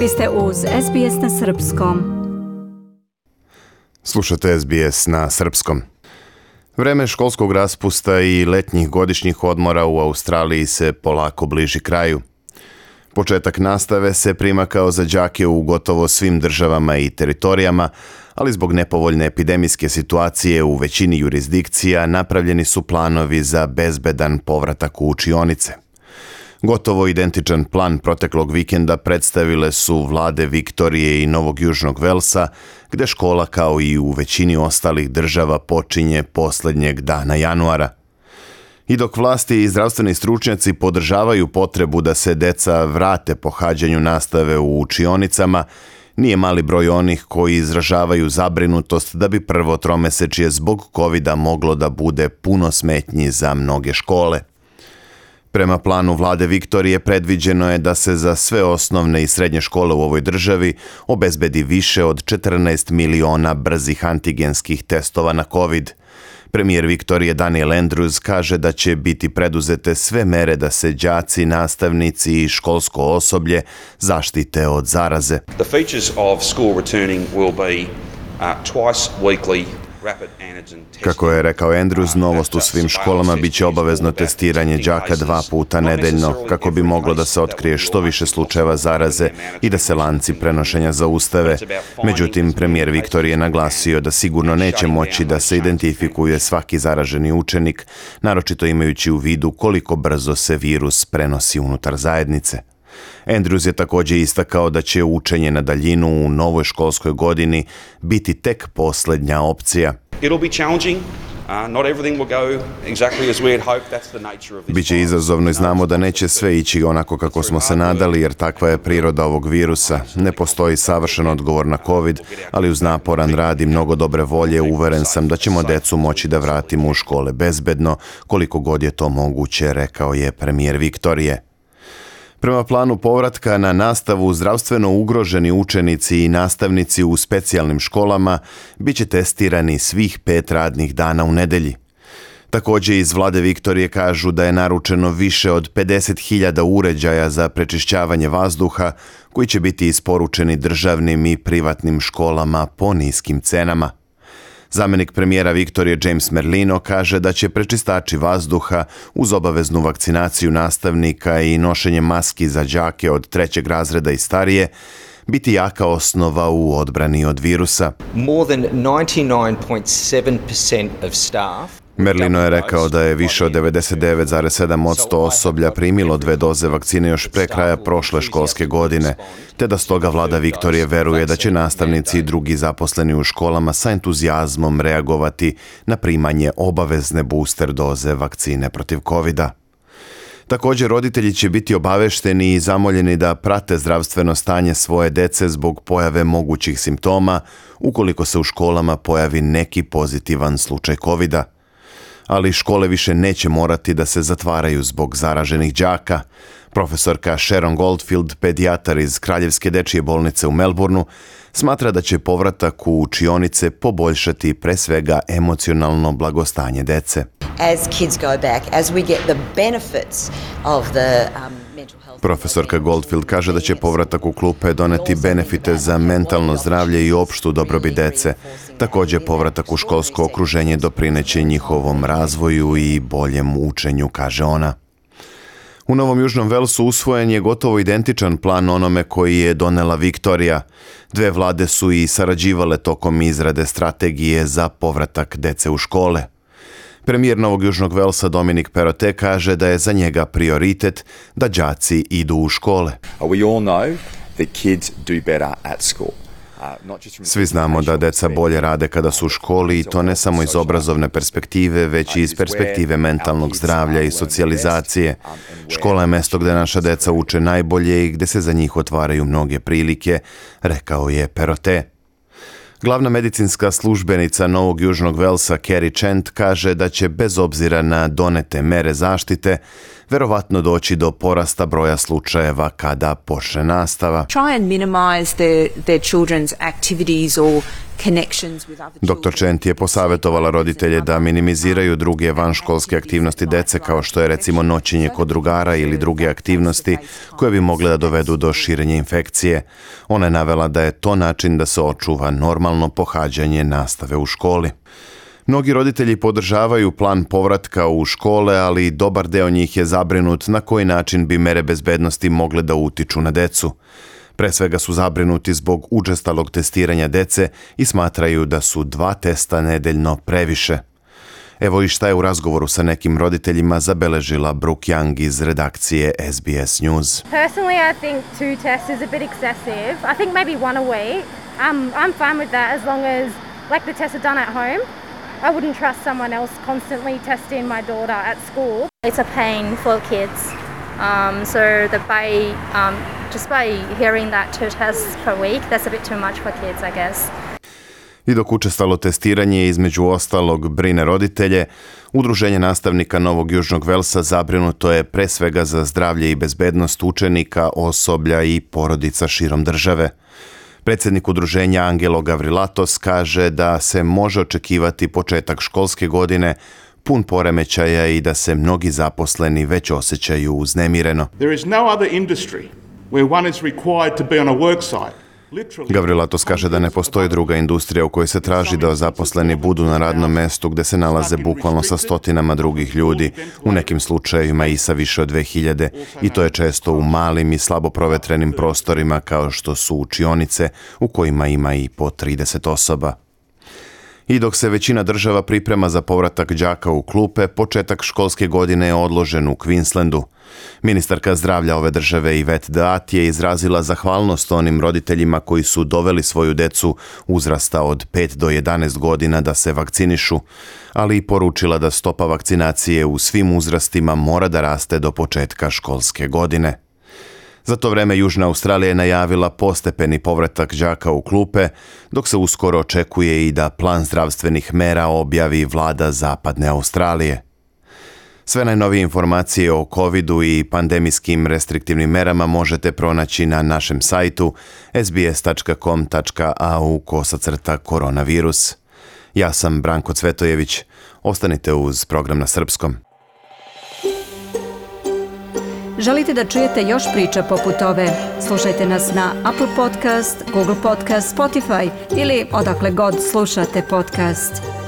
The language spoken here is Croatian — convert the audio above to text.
Vi ste uz SBS na Srpskom. Slušate SBS na Srpskom. Vreme školskog raspusta i letnjih godišnjih odmora u Australiji se polako bliži kraju. Početak nastave se prima kao za đake u gotovo svim državama i teritorijama, ali zbog nepovoljne epidemijske situacije u većini jurisdikcija napravljeni su planovi za bezbedan povratak u učionice. Gotovo identičan plan proteklog vikenda predstavile su vlade Viktorije i Novog Južnog Velsa, gde škola kao i u većini ostalih država počinje posljednjeg dana januara. I dok vlasti i zdravstveni stručnjaci podržavaju potrebu da se deca vrate pohađanju nastave u učionicama, nije mali broj onih koji izražavaju zabrinutost da bi prvo tromesečje zbog covida moglo da bude puno smetnji za mnoge škole. Prema planu vlade Viktorije predviđeno je da se za sve osnovne i srednje škole u ovoj državi obezbedi više od 14 miliona brzih antigenskih testova na COVID. Premijer Viktorije Daniel Andrews kaže da će biti preduzete sve mere da se đaci, nastavnici i školsko osoblje zaštite od zaraze. The features of school returning will be twice weekly. Kako je rekao Andrews, novost u svim školama biće obavezno testiranje đaka 2 puta nedeljno, kako bi moglo da se otkrije što više slučajeva zaraze i da se lanci prenošenja zaustave. Međutim, premijer Viktorije naglasio da sigurno neće moći da se identifikuje svaki zaraženi učenik, naročito imajući u vidu koliko brzo se virus prenosi unutar zajednice. Andrews je također istakao da će učenje na daljinu u novoj školskoj godini biti tek posljednja opcija. Biće izazovno i znamo da neće sve ići onako kako smo se nadali, jer takva je priroda ovog virusa. Ne postoji savršen odgovor na COVID, ali uz naporan rad i mnogo dobre volje uveren sam da ćemo decu moći da vratimo u škole bezbedno, koliko god je to moguće, rekao je premijer Viktorije. Prema planu povratka na nastavu, zdravstveno ugroženi učenici i nastavnici u specijalnim školama bit će testirani svih 5 radnih dana u nedelji. Također iz vlade Viktorije kažu da je naručeno više od 50.000 uređaja za prečišćavanje vazduha koji će biti isporučeni državnim i privatnim školama po niskim cenama. Zamjenik premijera Viktorije James Merlino kaže da će prečistači vazduha uz obaveznu vakcinaciju nastavnika i nošenje maski za đake od 3. razreda i starije biti jaka osnova u odbrani od virusa. Merlino je rekao da je više od 99,7% osoblja primilo 2 doze vakcine još pre kraja prošle školske godine, te da stoga vlada Viktorije veruje da će nastavnici i drugi zaposleni u školama sa entuzijazmom reagovati na primanje obavezne booster doze vakcine protiv covida. Također, roditelji će biti obavešteni i zamoljeni da prate zdravstveno stanje svoje dece zbog pojave mogućih simptoma ukoliko se u školama pojavi neki pozitivan slučaj covida. Ali škole više neće morati da se zatvaraju zbog zaraženih đaka. Profesorka Sharon Goldfield, pedijatar iz Kraljevske dečije bolnice u Melbourneu, smatra da će povratak u učionice poboljšati pre svega emocionalno blagostanje dece. Profesorka Goldfield kaže da će povratak u klupe doneti benefite za mentalno zdravlje i opštu dobrobit dece. Također, povratak u školsko okruženje doprineće njihovom razvoju i boljem učenju, kaže ona. U Novom Južnom Velsu usvojen je gotovo identičan plan onome koji je donela Viktorija. 2 vlade su i sarađivale tokom izrade strategije za povratak dece u škole. Premijer Novog Južnog Velsa Dominic Perrottet kaže da je za njega prioritet da đaci idu u škole. Svi znamo da deca bolje rade kada su u školi i to ne samo iz obrazovne perspektive, već i iz perspektive mentalnog zdravlja i socijalizacije. Škola je mesto gde naša deca uče najbolje i gde se za njih otvaraju mnoge prilike, rekao je Perrottet. Glavna medicinska službenica Novog Južnog Velsa Kerry Chant kaže da će bez obzira na donete mere zaštite verovatno doći do porasta broja slučajeva kada počne nastava. Try and minimize their children's activities or connections with other children. Dr. Chent je posavjetovala roditelje da minimiziraju druge vanškolske aktivnosti dece kao što je recimo noćenje kod drugara ili druge aktivnosti koje bi mogle da dovedu do širenja infekcije. Ona je navela da je to način da se očuva normalno pohađanje nastave u školi. Mnogi roditelji podržavaju plan povratka u škole, ali dobar deo njih je zabrinut na koji način bi mere bezbednosti mogle da utiču na decu. Pre svega su zabrinuti zbog učestalog testiranja dece i smatraju da su 2 testa nedeljno previše. Evo i šta je u razgovoru sa nekim roditeljima zabeležila Brooke Young iz redakcije SBS News. Personally, I think 2 tests is a bit excessive. I think maybe 1 a week. I'm fine with that as long as the tests are done at home. I wouldn't trust someone else constantly testing my daughter at school. It's a pain for kids. Just by hearing that 2 tests per week, that's a bit too much for kids, I guess. I dok učestalo testiranje između ostalog brine roditelje, Udruženje nastavnika Novog Južnog Velsa zabrinuto je pre svega za zdravlje i bezbednost učenika, osoblja i porodica širom države. Predsjednik udruženja Angelo Gavrilatos kaže da se može očekivati početak školske godine pun poremećaja i da se mnogi zaposleni već osjećaju uznemireno. There is no other industry where one is required to be on a work site. Gavrilatos kaže da ne postoji druga industrija u kojoj se traži da zaposleni budu na radnom mestu gde se nalaze bukvalno sa stotinama drugih ljudi, u nekim slučajevima i sa više od 2000, i to je često u malim i slabo provetrenim prostorima kao što su učionice u kojima ima i po 30 osoba. I dok se većina država priprema za povratak đaka u klupe, početak školske godine je odložen u Queenslandu. Ministarka zdravlja ove države Yvette Daat je izrazila zahvalnost onim roditeljima koji su doveli svoju decu uzrasta od 5 do 11 godina da se vakcinišu, ali i poručila da stopa vakcinacije u svim uzrastima mora da raste do početka školske godine. Za to vreme Južna Australija je najavila postepeni povratak đaka u klupe, dok se uskoro očekuje i da plan zdravstvenih mera objavi vlada Zapadne Australije. Sve najnovije informacije o covidu i pandemijskim restriktivnim merama možete pronaći na našem sajtu sbs.com.au/koronavirus. Ja sam Branko Cvetojević. Ostanite uz program na srpskom. Želite da čujete još priča poput ove? Slušajte nas na Apple Podcast, Google Podcast, Spotify ili odakle god slušate podcast.